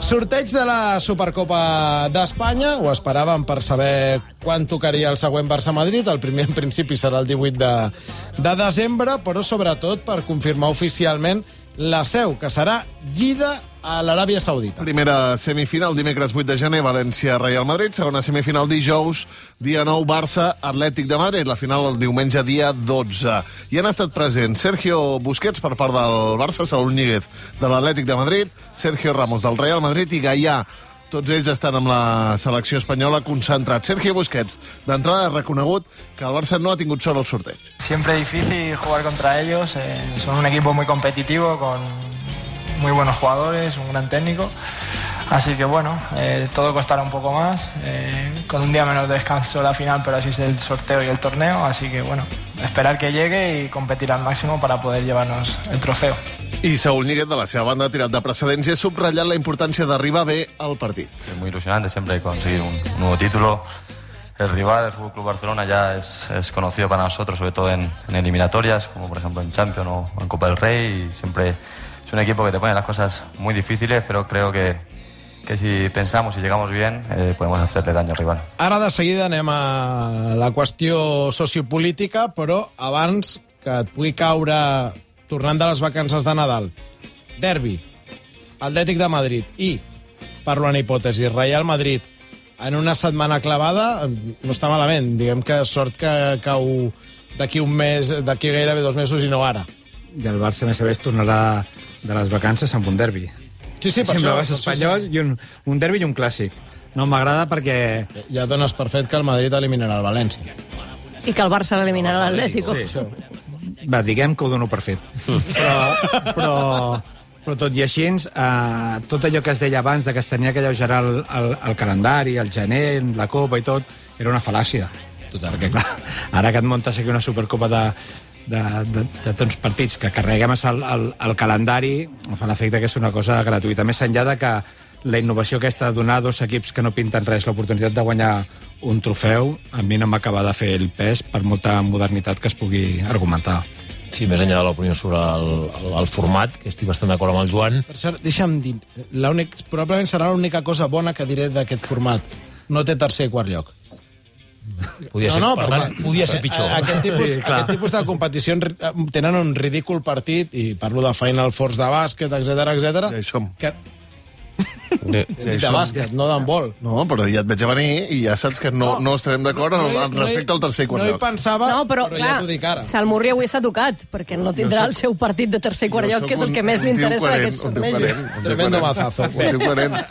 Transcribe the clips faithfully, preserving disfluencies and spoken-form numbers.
Sorteig de la Supercopa d'Espanya. Ho esperàvem per saber quan tocaria el següent Barça-Madrid. El primer, en principi, serà el divuit de, de desembre, però sobretot per confirmar oficialment la seu, que serà Jeddah, a l'Aràbia Saudita. Primera semifinal, dimecres vuit de gener, València-Real Madrid. Segona semifinal, dijous, dia nou, Barça-Atlètic de Madrid. La final el diumenge, dia dotze. I han estat presents Sergio Busquets per part del Barça, Saúl Ñíguez de l'Atlètic de Madrid, Sergio Ramos del Real Madrid i Gaià. Tots ells estan amb la selecció espanyola concentrats. Sergio Busquets, d'entrada, ha reconegut que el Barça no ha tingut sort al sorteig. Siempre difícil jugar contra ellos. Eh, son un equipo muy competitivo, con muy buenos jugadores, un gran técnico. Así que bueno, eh, todo costará un poco más. Eh, con un día menos de descanso la final, pero así es el sorteo y el torneo. Así que bueno, esperar que llegue y competir al máximo para poder llevarnos el trofeo. I Saúl Ñíguez, de la seva banda, ha tirat de precedents i ha subratllat la importància d'arribar bé al partit. Es muy ilusionante siempre conseguir un, un nuevo título. El rival, el F C Barcelona, ya es, es conocido para nosotros, sobre todo en, en eliminatorias, como por ejemplo en Champions o en Copa del Rey. Y siempre es un equipo que te pone las cosas muy difíciles, pero creo que, que si pensamos y llegamos bien, eh, podemos hacerle daño al rival. Ara de seguida anem a la qüestió sociopolítica, però abans que et pugui caure, tornant de les vacances de Nadal, derbi, Atlètic de Madrid i, parlo en hipòtesi, Real Madrid, en una setmana clavada, no està malament. Diguem que sort que cau d'aquí un mes, d'aquí gairebé dos mesos i no ara. I el Barça, més a més, tornarà de les vacances amb un derbi. Sí, sí, per Sempre això. vas espanyol i un, un derbi i un clàssic. No m'agrada perquè... Ja dones per fet que el Madrid eliminarà el València. I que el Barça l'eliminarà l'Atlético. Sí, això. Va, diguem que ho dono per fet. Però, però, però tot i així, eh, tot allò que es deia abans de que es tenia que alleugerar el, el, el calendari, el gener, la Copa i tot, era una fal·làcia. Total. Perquè, clar, ara que et muntes aquí una Supercopa de, de, de, de tants partits que carreguem el, el, el calendari, em fa l'efecte que és una cosa gratuïta. Més enllà de que la innovació aquesta de donar a dos equips que no pinten res l'oportunitat de guanyar un trofeu, a mi no m'acaba de fer el pes per molta modernitat que es pugui argumentar. Sí, més enllà de l'opinió sobre el, el, el format, que estic bastant d'acord amb el Joan. Per cert, deixa'm dir, l'únic, probablement serà l'única cosa bona que diré d'aquest format. No té tercer i quart lloc. Podia ser, no, no, per però, tant, podia ser pitjor. Aquest tipus, Sí, sí, clar. aquest tipus de competicions tenen un ridícul partit, i parlo de Final Fours de bàsquet, etcètera, etcètera. Ja hi som. Que... Ja He dit de bàsquet, no d'handbol. No, però ja et veig a venir i ja saps que no, no, no estarem d'acord no, no, respecte al tercer i quart no hi lloc. pensava, No, però, però clar, ja t'ho dic ara. Salmurri avui està tocat, perquè no tindrà el seu partit de tercer i quart lloc, que és el que més li interessa d'aquests tornejos. Tremendo mazazo. Bé,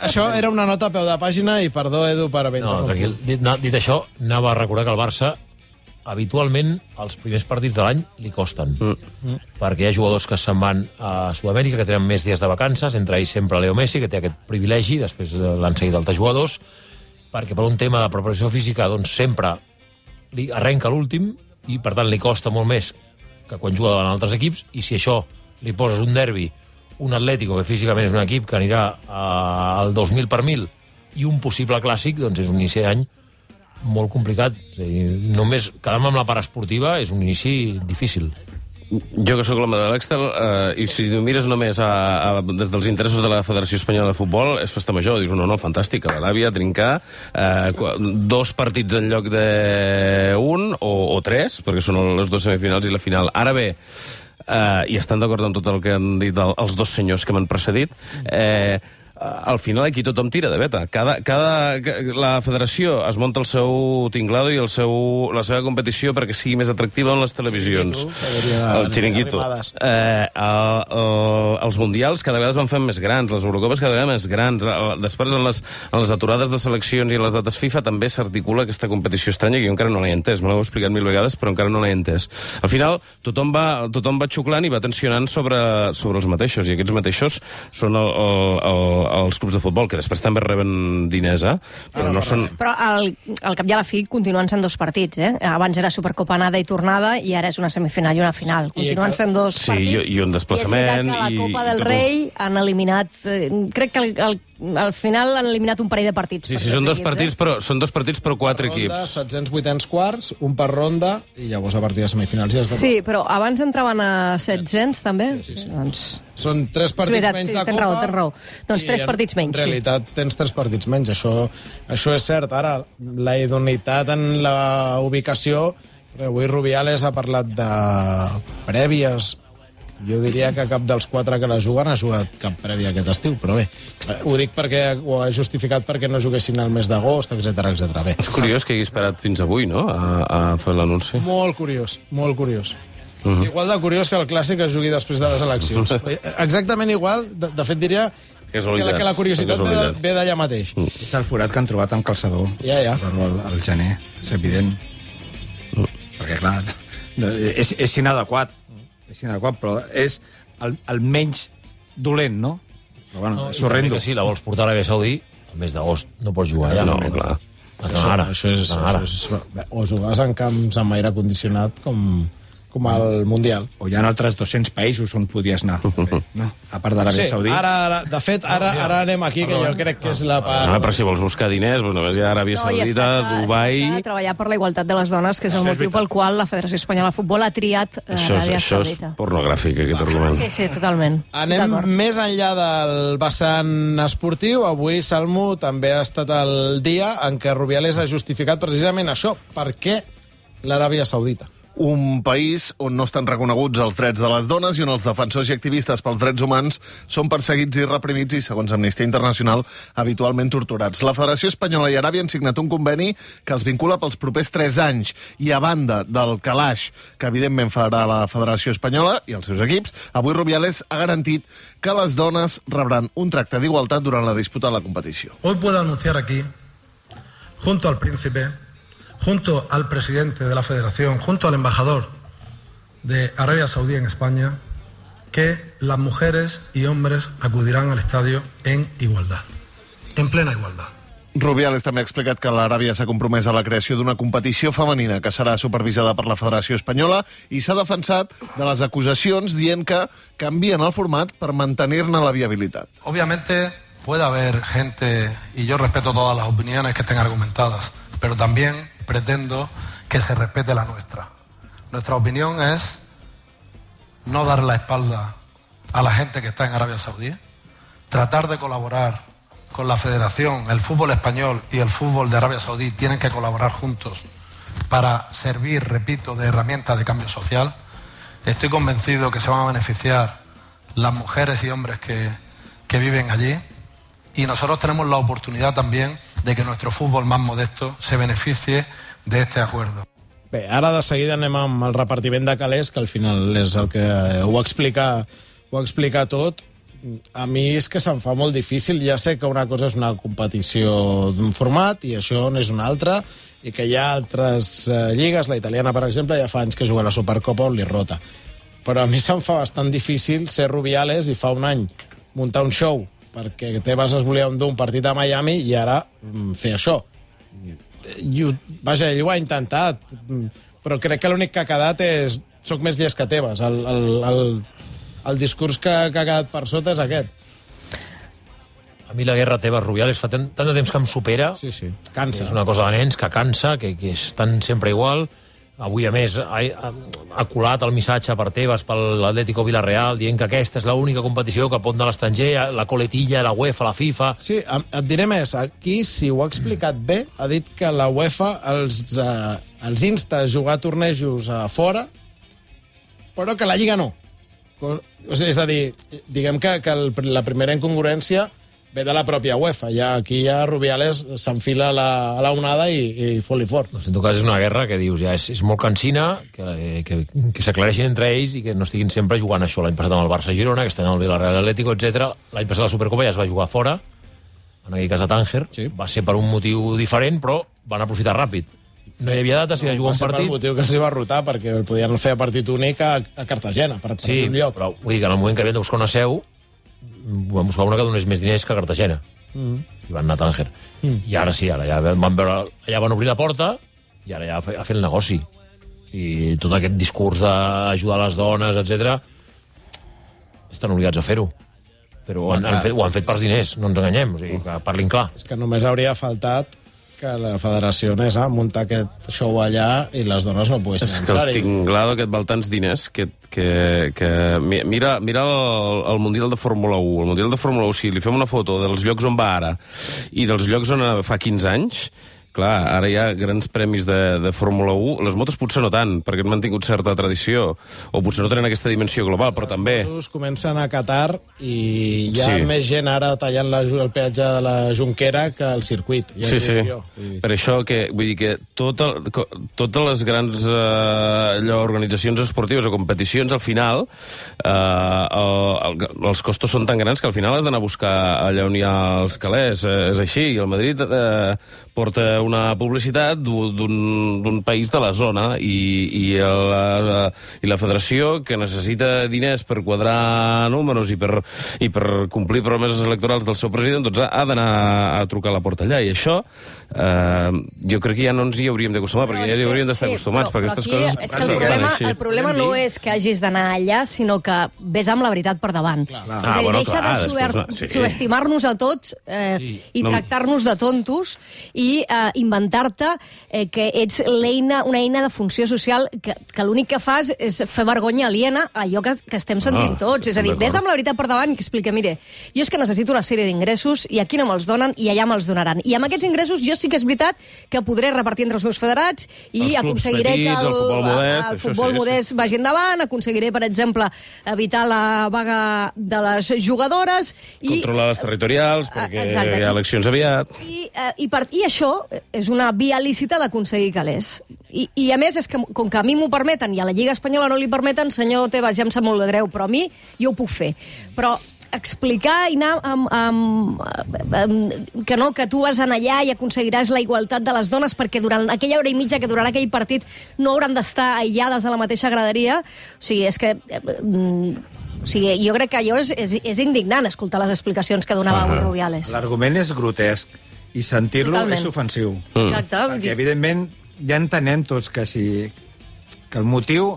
això era una nota a peu de pàgina i perdó, Edu, per haver No, tranquil. Dit, no, dit això, anava a recordar que el Barça habitualment els primers partits de l'any li costen, mm. perquè hi ha jugadors que se'n van a Sud-amèrica, que tenen més dies de vacances, entre ells sempre Leo Messi, que té aquest privilegi, després l'han seguit altres jugadors, perquè per un tema de preparació física doncs sempre li arrenca l'últim i per tant li costa molt més que quan juga davant altres equips, i si això li poses un derbi, un Atlético, que físicament és un equip que anirà al dos mil per mil, i un possible clàssic, doncs és un inici d'any molt complicat. És a dir, només quedar-me amb la part esportiva és un inici difícil. Jo que sóc l'home de l'Excel, eh, i si ho mires només a, a, des dels interessos de la Federació Espanyola de Futbol, és festa major. Dius, no, no, fantàstic, a l'Aràbia, trincar, eh, dos partits en lloc d'un o, o tres, perquè són les dues semifinals i la final. Ara bé, eh, i estan d'acord amb tot el que han dit el, els dos senyors que m'han precedit, eh, al final aquí tothom tira de veta. Cada, cada, la federació es munta el seu tinglado i el seu, la seva competició perquè sigui més atractiva en les televisions. El xiringuito. Eh, el, el, els mundials cada vegada es van fent més grans, les Eurocopes cada vegada més grans. Després, en les, en les aturades de seleccions i en les dates FIFA també s'articula aquesta competició estranya que jo encara no l'he entès. Me l'heu explicat mil vegades, però encara no l'he entès. Al final, tothom va, tothom va xuclant i va tensionant sobre, sobre els mateixos, i aquests mateixos són el, el, el als clubs de futbol, que després també reben diners, eh? Però no són... Però al, al cap i a la fi continuen sent dos partits, eh? Abans era Supercopa anada i tornada i ara és una semifinal i una final. Continuen sent dos sí, partits. I, i un desplaçament. I és veritat que la Copa i, del i Rei han eliminat... Eh, crec que el, el, al final han eliminat un parell de partits. Sí, sí, són dos partits, però, són dos partits però quatre ronda, equips. setzents, vuitens, quarts, un per ronda, i llavors a partir de semifinals ja es Sí, però abans entraven a setzents, també. Sí, sí, sí. Doncs... Són tres partits veritat, menys sí, de tens Copa. raó, tens raó. Doncs tres partits menys. En realitat sí. tens tres partits menys, això, això és cert. Ara, la idoneïtat en la ubicació, avui Rubiales ha parlat de prèvies. Jo diria que cap dels quatre que la juguen ha jugat cap prèvia aquest estiu, però bé, ho dic perquè ho ha justificat perquè no juguessin al mes d'agost, etcètera, etcètera. Bé. És curiós que hagi esperat fins avui, no?, a, a fer l'anunci. Molt curiós, molt curiós. Uh -huh. Igual de curiós que el clàssic es jugui després de les eleccions. Exactament igual, de, de fet diria que la, que la curiositat ve, ve d'allà mateix. Uh. És el forat que han trobat amb calçador. Ja, ja. Al, al gener, és evident. Uh. Perquè, clar, és, és inadequat. És inadequat, però és el, el menys dolent, no? Però, bueno, no, és horrendo. Si la vols portar a l'Aràbia Saudí, al mes d'agost no pots jugar allà. No, no, clar. Això, ara. Això és, això és, o jugues en camps amb aire condicionat com... com al Mundial. O hi ha altres dos-cents països on podries anar, no? A part d'Aràbia sí, Saudí. Ara, ara, de fet, ara, ara anem aquí, que jo crec que és la part... No, però si vols buscar diners, doncs només hi ha Aràbia Saudita, no, Dubai... No, treballar per la igualtat de les dones, que és el motiu pel qual la Federació Espanyola de Futbol ha triat eh, això és, Aràbia això Saudita. És pornogràfic, aquest argument. Sí, sí, totalment. Anem més enllà del vessant esportiu. Avui, Salmo, també ha estat el dia en què Rubiales ha justificat precisament això. Per què l'Aràbia Saudita? Un país on no estan reconeguts els drets de les dones i on els defensors i activistes pels drets humans són perseguits i reprimits i, segons Amnistia Internacional, habitualment torturats. La Federació Espanyola i Aràbia han signat un conveni que els vincula pels propers tres anys i, a banda del calaix que evidentment farà la Federació Espanyola i els seus equips, avui Rubiales ha garantit que les dones rebran un tracte d'igualtat durant la disputa de la competició. Hoy puedo anunciar aquí, junto al príncipe, junto al presidente de la Federación, junto al embajador de Arabia Saudí en España, que las mujeres y hombres acudirán al estadio en igualdad, en plena igualdad. Rubiales també ha explicat que l'Aràbia s'ha compromès a la creació d'una competició femenina que serà supervisada per la Federació Espanyola i s'ha defensat de les acusacions dient que canvien el format per mantenir-ne la viabilitat. Obviamente puede haber gente, y yo respeto todas las opiniones que estén argumentadas, pero también pretendo que se respete la nuestra. Nuestra opinión es no dar la espalda a la gente que está en Arabia Saudí, tratar de colaborar con la Federación, el fútbol español y el fútbol de Arabia Saudí tienen que colaborar juntos para servir, repito, de herramienta de cambio social. Estoy convencido que se van a beneficiar las mujeres y hombres que, que viven allí, y nosotros tenemos la oportunidad también de que nuestro fútbol más modesto se beneficie de este acuerdo. Bé, ara de seguida anem amb el repartiment de calés, que al final és el que ho explica, ho explica tot. A mi és que se'm fa molt difícil. Ja sé que una cosa és una competició d'un format i això n'és una altra, i que hi ha altres eh, lligues, la italiana, per exemple, ja fa anys que juga a la Supercopa on li rota. Però a mi se'm fa bastant difícil ser Rubiales i fa un any muntar un show perquè Tebas es volia endur un partit a Miami i ara mm, fer això. I, vaja, ell ho ha intentat, però crec que l'únic que ha quedat és soc més llest que Tebas. El, el, el, el discurs que, que ha quedat per sota és aquest. A mi la guerra Tebas-Rubiales fa tant, tant de temps que em supera. Sí, sí, cansa. És una cosa de nens que cansa, que, que estan sempre igual. Avui, a més, ha, ha, ha colat el missatge per Tebas, per l'Atlético Villarreal, dient que aquesta és l'única competició que pot anar a l'estranger, la coletilla, la UEFA, la FIFA... Sí, et diré més. Aquí, si ho ha explicat bé, ha dit que la UEFA els, eh, els insta a jugar tornejos a fora, però que la Lliga no. O sigui, és a dir, diguem que, que el, la primera incongruència ve de la pròpia UEFA. Ja, aquí ja Rubiales s'enfila a la, a la onada i, i fot-li fort. No, en tot cas, és una guerra que dius, ja és, és molt cansina, que, que, que s'aclareixin entre ells i que no estiguin sempre jugant això. L'any passat amb el Barça-Girona, aquest any amb el Villarreal Atlético, etcètera. L'any passat la Supercopa ja es va jugar fora, en aquell cas a Tànger. Sí. Va ser per un motiu diferent, però van aprofitar ràpid. No hi havia data, s'hi va jugar un partit... Va ser per motiu que els va rotar, perquè el podien fer a partit únic a, a Cartagena, per, per sí, un lloc. Però vull dir que en el moment que havien de buscar una seu, van buscar una que donés més diners que a Cartagena. Mm. I van anar a Tànger. Mm. I ara sí, ara ja van veure... Allà van obrir la porta i ara ja a fer, a fer el negoci. I tot aquest discurs d'ajudar les dones, etcètera, estan obligats a fer-ho. Però ho han, han fet, ho han fet per diners, no ens enganyem, o sigui, que parlin clar. És que només hauria faltat que la federació anés a muntar aquest show allà i les dones no poguessin És que el entrar-hi. tinglado que et val tants diners que, que, que mira, mira el, el Mundial de Fórmula u. El Mundial de Fórmula u, si li fem una foto dels llocs on va ara i dels llocs on anava fa quinze anys, clar, ara hi ha grans premis de, de Fórmula u. Les motos potser no tant, perquè han mantingut certa tradició, o potser no tenen aquesta dimensió global, però les també... Les motos comencen a Qatar i hi ha Sí. més gent ara tallant la, el peatge de la Junquera que el circuit. Ja Sí, ho sí. dic jo. Vull dir. Per això que, vull dir que tot el, co- totes les grans eh, allò, organitzacions esportives o competicions, al final, eh, el, el, els costos són tan grans que al final has d'anar a buscar allà on hi ha els calés. Eh, és així. I el Madrid eh, porta una publicitat d'un país de la zona i, i, la, i la federació, que necessita diners per quadrar números i per, i per complir promeses electorals del seu president, doncs ha, ha d'anar a trucar a la porta allà. I això eh, jo crec que ja no ens hi hauríem d'acostumar, perquè ja hi hauríem d'estar sí, acostumats, però, perquè però aquestes aquí, coses... és que el problema, el problema no és que hagis d'anar allà, sinó que vés amb la veritat per davant. Clar. És a dir, Ah, bueno, deixa clar, de després subert, no, sí. subestimar-nos a tots eh, Sí. i No. tractar-nos de tontos i eh, inventar-te eh, que ets l'eina, una eina de funció social que, que l'únic que fas és fer vergonya aliena a allò que, que estem sentint Ah, tots. És a dir, d'acord. vés amb la veritat per davant i que explica, mire, jo és que necessito una sèrie d'ingressos i aquí no me'ls donen i allà me'ls donaran. I amb aquests ingressos jo sí que és veritat que podré repartir entre els meus federats i Els clubs aconseguiré petits, que el futbol modest, el això futbol sí, modest vagi endavant, aconseguiré, per exemple, evitar la vaga de les jugadores i Controlar les territorials, perquè exacte. hi ha eleccions aviat. I, eh, i, per, I això és una via lícita d'aconseguir calés. I, I a més, és que com que a mi m'ho permeten i a la Lliga Espanyola no li permeten, senyor Tebas, ja em sap molt de greu, però a mi jo ho puc fer. Però explicar i anar amb, amb, amb, que no, que tu vas anar allà i aconseguiràs la igualtat de les dones perquè durant aquella hora i mitja que durarà aquell partit no hauran d'estar aïllades a la mateixa graderia. O sigui, és que... Eh, o sigui, jo crec que allò és, és, és indignant escoltar les explicacions que donava avui Rubiales. L'argument és grotesc i sentir-lo Totalment. és ofensiu. Mm. Exacte. vull Perquè, dir- evidentment, ja entenem tots que si que el motiu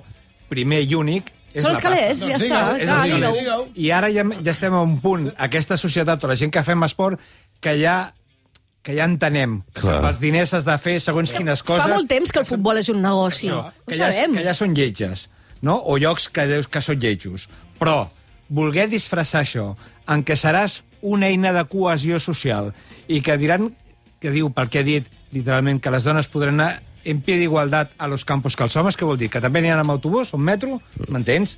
primer i únic és Són la els calés, pasta. ja Doncs està. digues, És Clar, els digue-ho. diners. I ara ja, ja estem a un punt, aquesta societat, o la gent que fem esport, que ja que ja entenem Clar. que pels diners has de fer segons quines coses... Fa molt temps que el futbol és un negoci. Això, Ho que, ja, sabem. que ja són lletges, no? O llocs que deus que són lletjos. Però voler disfressar això en què seràs una eina de cohesió social i que diran, que diu, pel que ha dit, literalment, que les dones podran anar en pie d'igualtat a los campos que els homes, què vol dir? Que també n'hi ha amb autobús o amb metro? M'entens?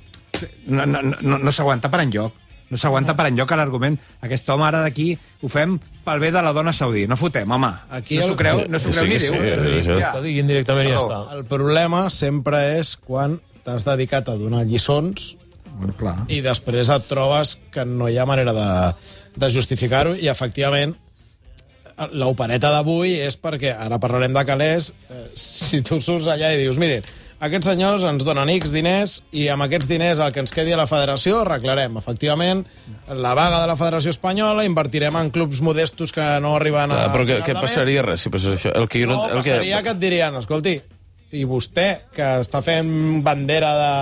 No, no, no, no s'aguanta per enlloc. No s'aguanta per enlloc l'argument. Aquest home ara d'aquí ho fem pel bé de la dona saudí. No fotem, home. Aquí no s'ho el- creu, no s'ho Sí, creu ni sí, Déu. sí, sí. Hòstia. Que diguin directament i ja Perdó. està. El problema sempre és quan t'has dedicat a donar lliçons Bueno, clar. i després et trobes que no hi ha manera de, de justificar-ho i, efectivament, l'opereta d'avui és perquè, ara parlarem de calés, eh, si tu surts allà i dius, miren, aquests senyors ens donen X diners i amb aquests diners el que ens quedi a la federació arreglarem. Efectivament, la vaga de la Federació Espanyola invertirem en clubs modestos que no arriben a... Ah, però què, final què de mes. passaria res si passés això? El que jo No, no, el passaria que et dirien, escolti, i vostè, que està fent bandera de,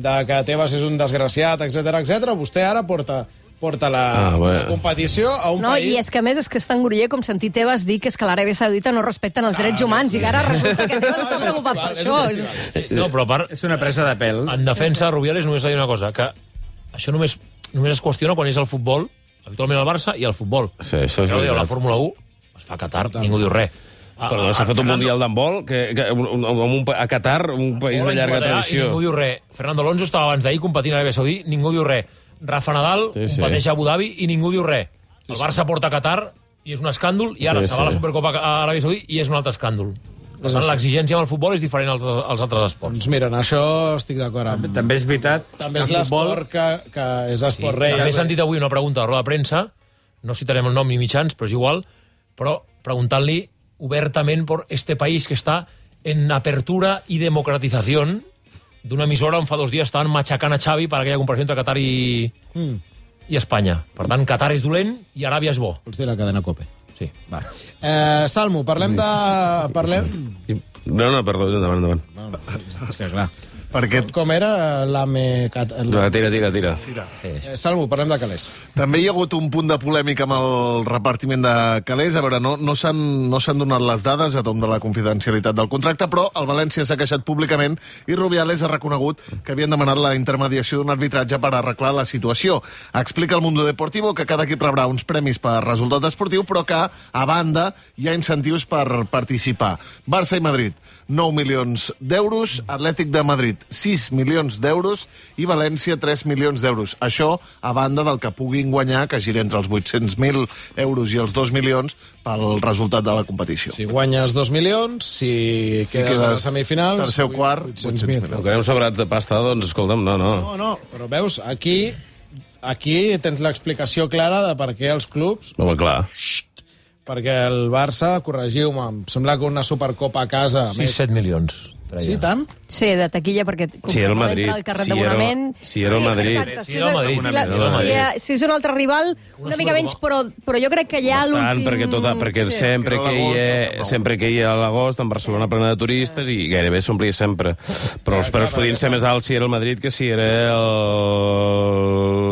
de que Tebas és un desgraciat, etc etc, vostè ara porta porta la, Ah, bueno. la competició a un No, país... i és que a més és que és tan groller com sentir Tebas dir que és que l'Aràbia Saudita no respecten els drets humans i ara resulta que Tebas està preocupat per és això. un festival. No, però a part, És una presa de pèl. en defensa de Rubiales només ha dit una cosa, que això només, només es qüestiona quan és el futbol, habitualment el Barça, i el futbol. Sí, això és Però diu, la veritat. Fórmula u es fa a Qatar, ningú diu res. Ah, Però s'ha ah, fet un Fernando- mundial d'handbol que, que, un, un, un, a Qatar, un país de Volen llarga competir, I tradició. ningú diu res. Fernando Alonso estava abans d'ahir competint a l'Aràbia Saudí, ningú diu res. Rafa Nadal Sí, sí. competeix a Abu Dhabi i ningú diu res. El Barça porta a Qatar i és un escàndol, i ara Sí, se va a la sí. Supercopa a Aràbia Saudí i és un altre escàndol. Per tant, l'exigència amb el futbol és diferent als, als altres esports. Doncs mira, en això estic d'acord amb... També és veritat També és que el futbol- l'esport que, que és Sí, l'esport rei. també he sentit avui una pregunta a la roda de premsa, no citarem el nom ni mitjans, però és igual, però preguntant-li obertament por este país que està en apertura i democratización d'una emissora on fa dos dies estaven matxacant a Xavi per aquella comparació entre Qatar i, Mm. i Espanya. Per tant, Qatar és dolent i Aràbia és bo. Vols dir la cadena COPE? Sí. Va. Eh, Salmo, parlem de... Parlem... No, no, perdó, endavant, endavant. No, no, és que clar... Perquè... Com era l'AME... Va, tira, tira, tira. Sí. Eh, Salmo, parlem de calés. També hi ha hagut un punt de polèmica amb el repartiment de calés. A veure, no, no s'han no s'han donat les dades a tom de la confidencialitat del contracte, però el València s'ha queixat públicament i Rubiales ha reconegut que havien demanat la intermediació d'un arbitratge per arreglar la situació. Explica el Mundo Deportivo que cada equip rebrà uns premis per resultat esportiu, però que, a banda, hi ha incentius per participar. Barça i Madrid, nou milions d'euros, Atlètic de Madrid, sis milions d'euros i València, tres milions d'euros. Això, a banda del que puguin guanyar, que gira entre els vuit-cents mil euros i els dos milions pel resultat de la competició. Si guanyes dos milions, si, si quedes, quedes a la semifinal... Tercer o quart, vuit-cents mil. No quedem sobrats de pasta, doncs, escolta'm, no, no. No, no, però veus, aquí, aquí tens l'explicació clara de per què els clubs... Home, clar. Perquè el Barça, corregiu-me, em sembla que una Supercopa a casa... sis set milions. Sí, tant? Sí, de taquilla, perquè... Si era el Madrid. El carret si d'abonament... Si era el Madrid. Exacte, si era el Madrid. Si, la, si, si, si és un altre rival, una mica menys, però, però jo crec que ja Bastant, l'últim... perquè, tota, perquè sí. sempre, que hi ha, sempre que hi ha a l'agost, en Barcelona plena de turistes, i gairebé s'omplia sempre. Però els preus podien ser més alts si era el Madrid que si era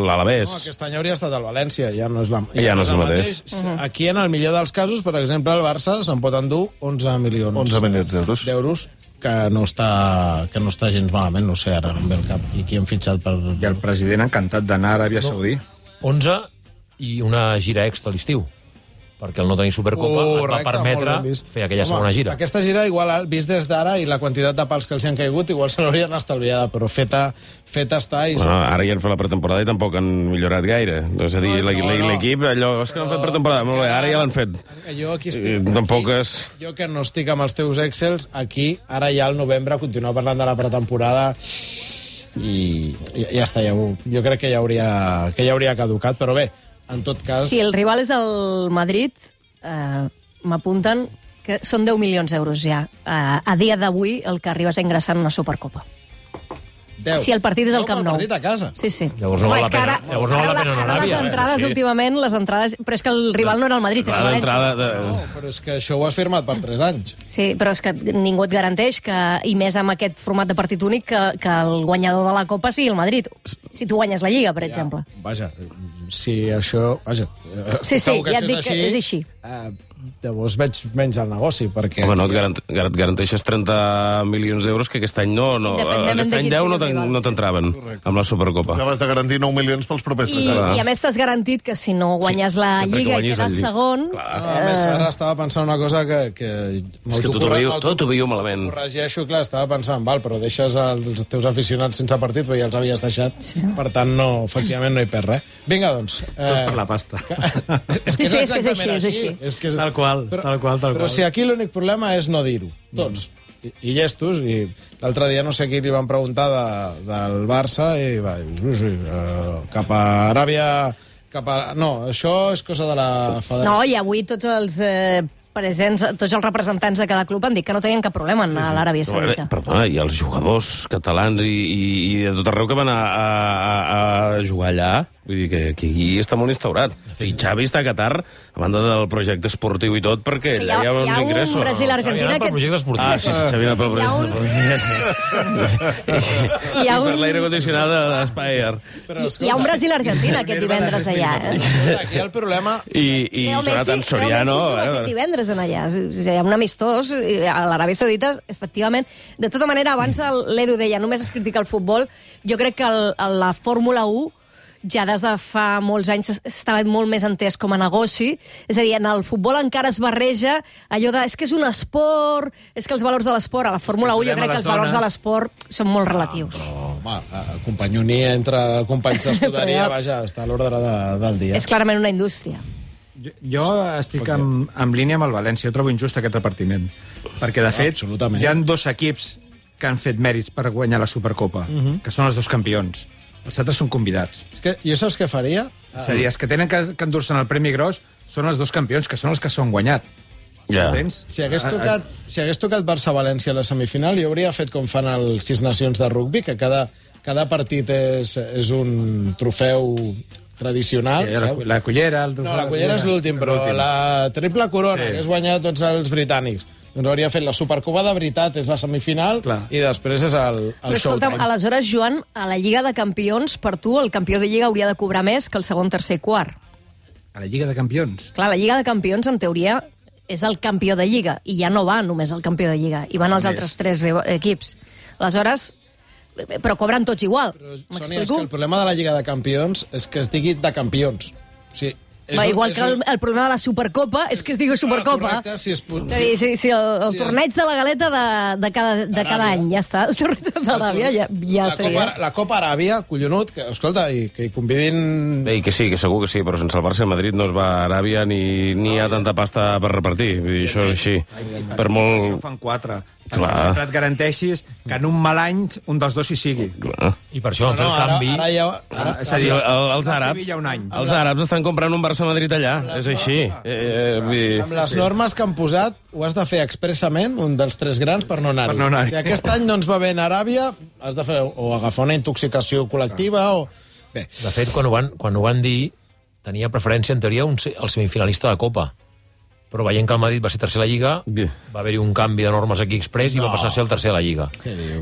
l'Alavés. No, aquest any hauria estat el València, ja no és, la, ja ja no és el mateix. mateix. Uh -huh. Aquí, en el millor dels casos, per exemple, el Barça se'n pot endur onze milions onze milions d'euros. d'euros que no està que no està gens malament, no sé, ara no em ve el cap. I qui han fitxat per... I el president encantat d'anar a Aràbia Saudí. onze i una gira extra a l'estiu, perquè el no tenir Supercopa uh, et va permetre fer aquella Home, segona gira. Aquesta gira, igual, vist des d'ara, i la quantitat de pals que els hi han caigut, igual se l'haurien estalviada, però feta, feta està... I bueno, ara ja han fet la pretemporada i tampoc han millorat gaire. És a dir, no, no, no. l'equip, allò, és que no han fet pretemporada, molt bé, ara ja l'han fet. Jo aquí estic... I, tampoc és... Jo que no estic amb els teus Excels, aquí, ara ja al novembre, continuar parlant de la pretemporada i, i ja està, ja ho, jo crec que ja hauria, que ja hauria caducat, però bé, en tot cas... Si el rival és el Madrid, eh, m'apunten que són deu milions d'euros ja. Eh, a dia d'avui, el que arribes a ingressar en una Supercopa. deu. Si el partit és al Camp Nou. El partit a casa. Sí, sí. Llavors no val la pena, llavors no val la pena anar a Aràbia. Les entrades, sí. últimament, les entrades... Però és que el rival no era el Madrid, era el València. De... No, però és que això ho has firmat per tres anys. Sí, però és que ningú et garanteix que, i més amb aquest format de partit únic, que, que el guanyador de la Copa sigui el Madrid. Si tu guanyes la Lliga, per ja, exemple. Vaja, si això... Vaja, sí, sí, ja et dic així, que és així. Eh, llavors veig menys el negoci, perquè... Home, no et garant, garant, garanteixes trenta milions d'euros que aquest any no... no aquest any deu no t'entraven amb la Supercopa. Acabes de garantir nou milions pels propers I, I a més t'has garantit que si no guanyes sí, la Lliga i quedes segon... No, a més, ara estava pensant una cosa que... que és que tot ho veiu, tot ho veiu malament. Corregeixo, clar, estava pensant, val, però deixes els teus aficionats sense partit, però ja els havies deixat, sí. Per tant, no, efectivament, no hi perd res. Vinga, doncs... Eh... Tot per la pasta. és que sí, sí, és, és que és així, és així. És que és... Tal qual, però, tal qual, tal però qual. si aquí l'únic problema és no dir-ho, tots. Mm. I, i llestos, i l'altre dia no sé qui li van preguntar de, del Barça i va dir, sí, sí, uh, cap a Aràbia... Cap a... No, això és cosa de la federació. No, i avui tots els... Eh... presents, tots els representants de cada club han dit que no tenien cap problema en sí, sí. a l'Aràbia Saudita. Perdona, i els jugadors catalans i, i, i de tot arreu que van a, a, a jugar allà, vull dir que, que aquí està molt instaurat. Sí, Xavi està a Qatar, a banda del projecte esportiu i tot, perquè allà hi ha, hi ha uns ingressos. Hi ha un Brasil-Argentina... Que... projecte esportiu. Ah, sí, sí, Xavi anava pel projecte esportiu. I per l'aire condicionat de l'Espire. Hi ha un Brasil-Argentina aquest divendres allà. Aquí el problema... I, i Jonathan Soriano... Aquest divendres en allà. Hi ha un amistós a l'Aràbia Saudita, efectivament. De tota manera, abans l'Edu deia, només es critica el futbol. Jo crec que el, la Fórmula u ja des de fa molts anys estava molt més entès com a negoci. És a dir, en el futbol encara es barreja allò de, és que és un esport, és que els valors de l'esport, a la Fórmula u jo crec que els valors de l'esport són molt relatius. Ah, però, home, companyonia entre companys d'escuderia, vaja, està a l'ordre de, del dia. És clarament una indústria. Jo, jo estic en, en línia amb el València. Jo trobo injust aquest repartiment. Perquè, de fet, hi ha dos equips que han fet mèrits per guanyar la Supercopa, uh -huh. que són els dos campions. Els altres són convidats. És que jo saps què faria? És a dir, els que tenen que, que endur-se'n el Premi Gros són els dos campions, que són els que s'han guanyat. Ja. Si hagués tocat, si hagués tocat Barça-València a la semifinal, jo hauria fet com fan els Sis Nacions de rugbi, que cada, cada partit és, és un trofeu tradicional. Sí, la, la cullera... El no, la cullera és l'últim, però la triple corona, sí. que és guanyar tots els britànics. Doncs hauria fet la Supercopa de veritat, és la semifinal, Clar. i després és el, el Però escolta'm, showtime. aleshores, Joan, a la Lliga de Campions, per tu, el campió de Lliga hauria de cobrar més que el segon, tercer i quart. A la Lliga de Campions. Clar, la Lliga de Campions, en teoria, és el campió de Lliga, i ja no va només el campió de Lliga, i van els Més. altres tres riva- equips. Aleshores, però cobren tots igual. Però, Sònia, és M'explico? que el problema de la Lliga de Campions és que es digui de campions. O sigui, és Va, un- igual és que el, un- el problema de la Supercopa és que es digui Supercopa. Correcte, si es... És a dir, si, si el, el si es- torneig de la galeta de, de cada, de cada any, ja està. El torneig de l'Aràbia ja, ja la, seria. Copa, la Copa Aràbia, collonut, que, escolta, i que hi convidin... Bé, i que sí, que segur que sí, però sense el Barça i el Madrid no es va a Aràbia ni, ni hi ha tanta pasta per repartir. Vull dir, això és així. Per Això molt... fan quatre. Clar. Sempre et garanteixis que en un mal any un dels dos hi sigui. Clar. I per això van fer el ara, canvi... ara, ja, ara, És a Sí, dir, el, el, els el àrabs, Sevilla un any. els àrabs estan comprant un Barça-Madrid allà, és així. Eh, eh, vull dir... amb les normes que han posat, ho has de fer expressament, un dels tres grans, per no anar-hi. Per no anar-hi. Si aquest any no ens va bé en Aràbia, has de fer o agafar una intoxicació col·lectiva o... Bé, De fet, quan ho van, quan ho van dir, tenia preferència, en teoria, un, se- el semifinalista de Copa. Però veient que el Madrid va ser tercer a la Lliga, Bé. va haver-hi un canvi de normes aquí express i va passar a ser el tercer a la Lliga.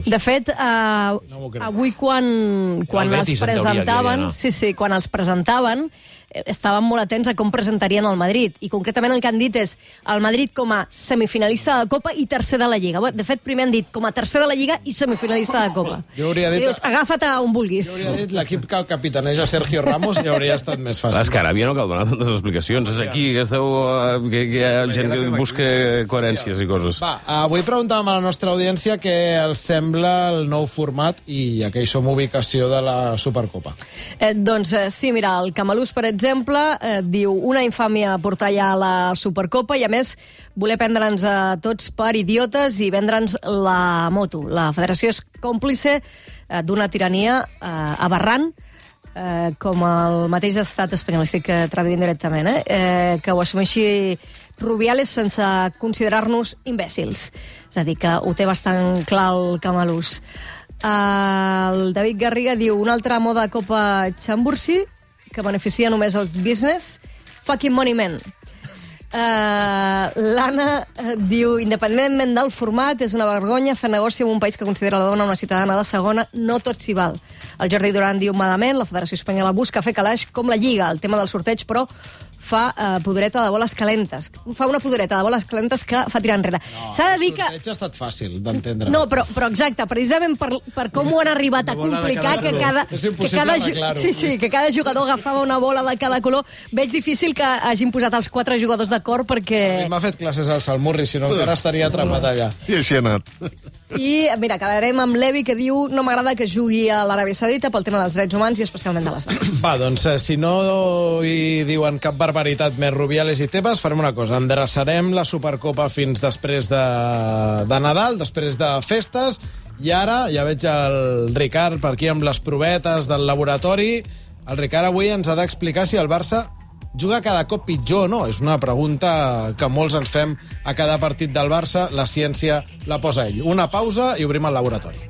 De fet, eh, avui quan, quan el els Betis, en teoria, que presentaven, havia sí, sí, quan els presentaven, eh, estaven molt atents a com presentarien el Madrid. I concretament el que han dit és el Madrid com a semifinalista de Copa i tercer de la Lliga. Bé, de fet, primer han dit com a tercer de la Lliga i semifinalista de Copa. Jo hauria dit- I dius, agafa't a on vulguis. jo hauria dit l'equip que capitaneja Sergio Ramos i hauria estat més Clar, fàcil. és que a Aràbia no cal donar tantes explicacions. És aquí que esteu... eh, Que, que hi ha gent que busca coherències i coses. Va, avui preguntàvem a la nostra audiència què els sembla el nou format i a què hi som ubicació de la Supercopa. Eh, doncs eh, sí, mira, el Camalús, per exemple, eh, diu una infàmia portar ja la Supercopa i, a més, voler prendre'ns a tots per idiotes i vendre'ns la moto. La federació és còmplice eh, d'una tirania eh, aberrant, eh, com el mateix estat espanyol, estic eh, traduint directament, eh, eh, que ho assumeixi Rubiales sense considerar-nos imbècils. És a dir, que ho té bastant clar el Camalús. Uh, el David Garriga diu una altra moda Copa Chambursi que beneficia només els business. Fucking money men. Uh, L'Anna uh, diu independentment del format és una vergonya fer negoci en un país que considera la dona una ciutadana de segona, no tot s'hi val. El Jordi Duran diu malament, la Federació Espanyola busca fer calaix com la Lliga. El tema del sorteig, però, fa uh, podereta de boles calentes. Fa una podereta de boles calentes que fa tirar enrere. No, S'ha de dir el que... sorteig ha estat fàcil d'entendre. No, però, però exacte, precisament per, per com ho han arribat a Una bola de complicar cada que color. cada, És que impossible cada, ju- arreglar-ho. sí, sí, que cada jugador agafava una bola de cada color, veig difícil que hagin posat els quatre jugadors d'acord perquè... M'ha fet classes al Salmurri, si no encara estaria atrapat allà. I així ha anat. I, mira, acabarem amb l'Evi, que diu no m'agrada que jugui a l'Aràbia Saudita pel tema dels drets humans i especialment de les dones. Va, doncs, eh, si no hi diuen cap barbaritat més Rubiales i Tebas, farem una cosa. Endreçarem la Supercopa fins després de, de Nadal, després de festes, i ara ja veig el Ricard per aquí amb les provetes del laboratori. El Ricard avui ens ha d'explicar si el Barça juga cada cop pitjor o no. És una pregunta que molts ens fem a cada partit del Barça. La ciència la posa ell. Una pausa i obrim el laboratori.